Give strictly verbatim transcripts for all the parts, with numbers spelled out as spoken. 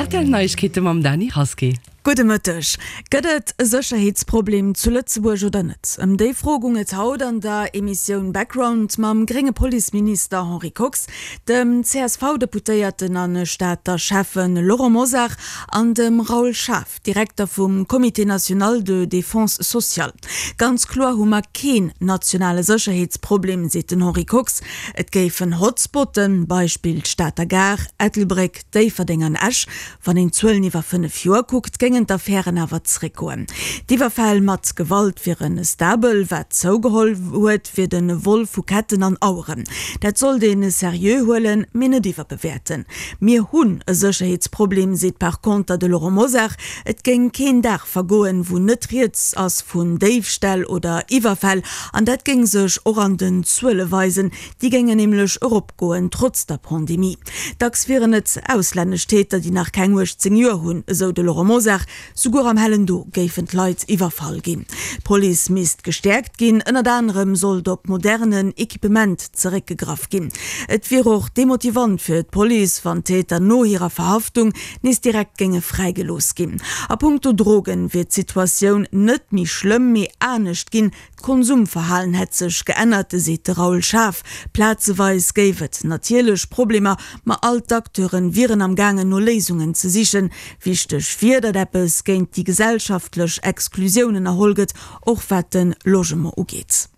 Rtl Neiegkeete mam Dany Rasqué. Gudde Mëtteg. Gëtt et e Sécherheetsproblem zu Lëtzebuerg oder net? Ëm déi Fro goung et haut an der Emissioun Background mam grénge Policeminister Henri Kox, dem C S V-Deputéierten a Stater Schäffe Laurent Mosar an dem Raoul Schaaf, Direkter vum Comité national de défense sociale. Ganz kloer hu mer keen nationale Sécherheetsproblem, seet den Henri Kox. Et géifen Hotspotten, Beispill d'Stater Gare, Ettelbréck, Déifferdeng an Esch. Wann een d'Zuelen iwwer fënnef Joer kuckt, géingen d'Affären awer zeréckgoen. D'Iwwerfäll mat Gewalt wiere stabel, wat zougeholl huet, wier de Vol vu Ketten an Aueren. Dat sollt ee seriö huelen, mee net iwwerbewäerten. Mir hunn e Sécherheetsproblem, seet par konter de Laurent Mosar. Et géing keen Dag vergoen, wou net rieds ass vun Déifställ oder Iwwerfäll. An dat géing sech och an den Zuele weisen, déi géingen nämlech eropgoen, trotz der Pandemie. Dacks wieren et auslännesch Täter, déi nach keng uechtzéng Joer hunn, esou de Laurent Mosar. Souguer am hellen Do géifen d'Leit iwwerfall ginn. D'Police misst gestäerkt ginn, ënnert anerem sollt op modernen Equipement zeréckgegraff ginn. Et wier och demotivant fir d'Police, wann d'Täter no hirer Verhaftung nees direkt géinge fräigelooss ginn. A punkto Drogen wier d'Situatioun net méi schlëmm, mee anescht ginn. D'Konsumverhalen hätt sech geännert, seet de Raoul Schaaf. Plazeweis géif et natierlech Problemer, ma all d'Acteure wieren am gaangen no Léisungen ze sichen. Wichteg wier, datt eppes géint déi gesellschaftlech Exklusioun ënnerholl gëtt, och wat de Logement ugeet.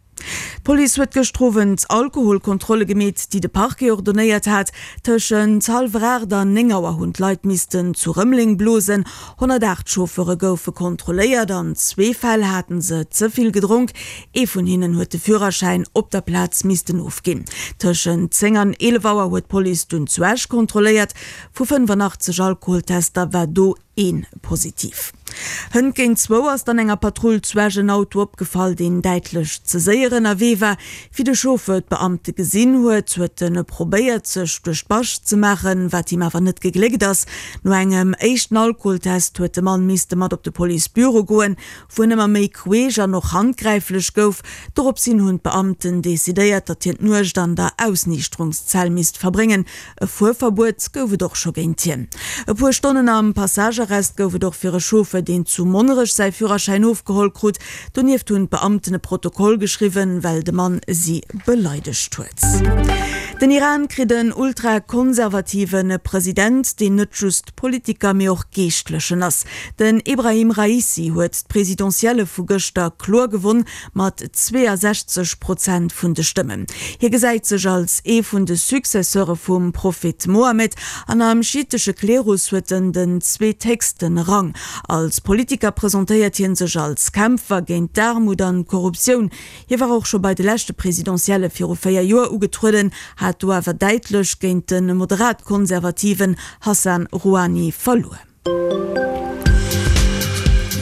D'Police huet gëschter Owend Alkoholkontrolle gemeet, déi de Parquet ordonéiert hat. Tëschent hallwer aacht an néng Auer hunn d'Leit missten zu Rëmeleng blosen. honnertaacht Chauffeure goufe kontrolléiert. An zwee Fäll hate se ze vill gedronk. Ee vun hinnen huet de Führerschäin op der Plaz missten ofginn. Tëschent zéng an eelef Auer huet d'Police dunn zu Esch kontrolléiert. Vu fënnefanachtzeg Alkoholtester war do een positiv. Hënt géint zwou ass dann enger Patrull zu Esch en Auto opgefall, deen däitlech ze séier ënnerwee war. Wéi de Chauffeur d'Beamte gesinn huet, huet en probéiert, sech duerch d'Bascht ze maachen, wat him awer net gegléckt ass. No engem éischten Alkoholtest huet de Mann misste mat op de Policebüro goen, wou en ëmmer méi queesch an och handgräiflech gouf. Dorops hin hunn d'Beamten decidéiert, datt hien d'Nuecht an der Ausniichterungszell misst verbréngen. E Fuerverbuet gouf et och scho géint hien. E puer Stonnen am Passagearrest gouf et och fir e Chauffeur, deen zu Monnerech säi Führerschäin ofgeholl krut. Donieft hunn d'Beamten e Protokoll geschriwwen, well de Mann si beleidegt huet. Den Iran kritt en ultrakonservative President, deen net just Politiker, mee och Geeschtlechen ass. Den Ebrahim Raisi huet d'Presidentielle vu gëschter kloer gewonn, mat zweeasechzeg Prozent vun de Stëmmen. Hie gesäit sech als ee vun de Successeure vum Prophet Mohammed an am schiitesche Klerus huet en den zweethéchste Rang. Als Politiker presentéiert hie sech als Kämpfer géint d'Aarmut an d'Korruptioun. Hie war och scho bei de leschte Presidentielle viru véier Joer ugetrueden, hat do awer däitlech géint de moderat-konservativen Hassan Rouhani verluer.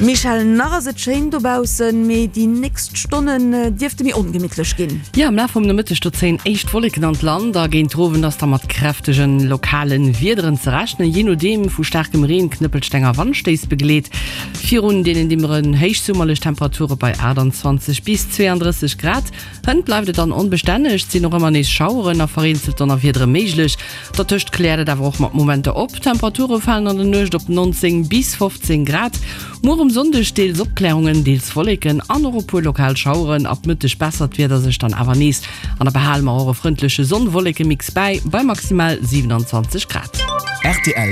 Michèle, nach ass et schéin dobaussen, mee déi nächst Stonnen dierfte méi ongemittlech ginn. Jo, am Laf vum Nomëtteg do zéien éischt Wolleken an d'Land a géint den Owend ass da mat kräftegen lokalen Wiederen ze rechnen, jee nodeem vu staarkem Reen, Knëppelsteng a Wandstéiss begleet. Virun deenen dimmeren héichsummerlech Temperature bei aachtanzwanzeg bis zweeandrësseg Grad. Hënt bleift et dann onbestänneg, et sinn och ëmmer nees Schaueren a vereenzelt Donnerwiedere méiglech. Dertëscht kläert et awer och mat Momenter op. D'Temperature falen an der Nuecht op neunzéng bis fofzéng Grad. Muer um Sonndeg deels Opklärungen, deels Wolleken an och e puer lokal Schaueren. Ab Mëtteg bessert d'Wieder sech dann awer nees an da behale mer och e frëndleche Sonn-Wolleke-Mix bäi, bei maximal siwenanzwanzeg Grad. Rtl.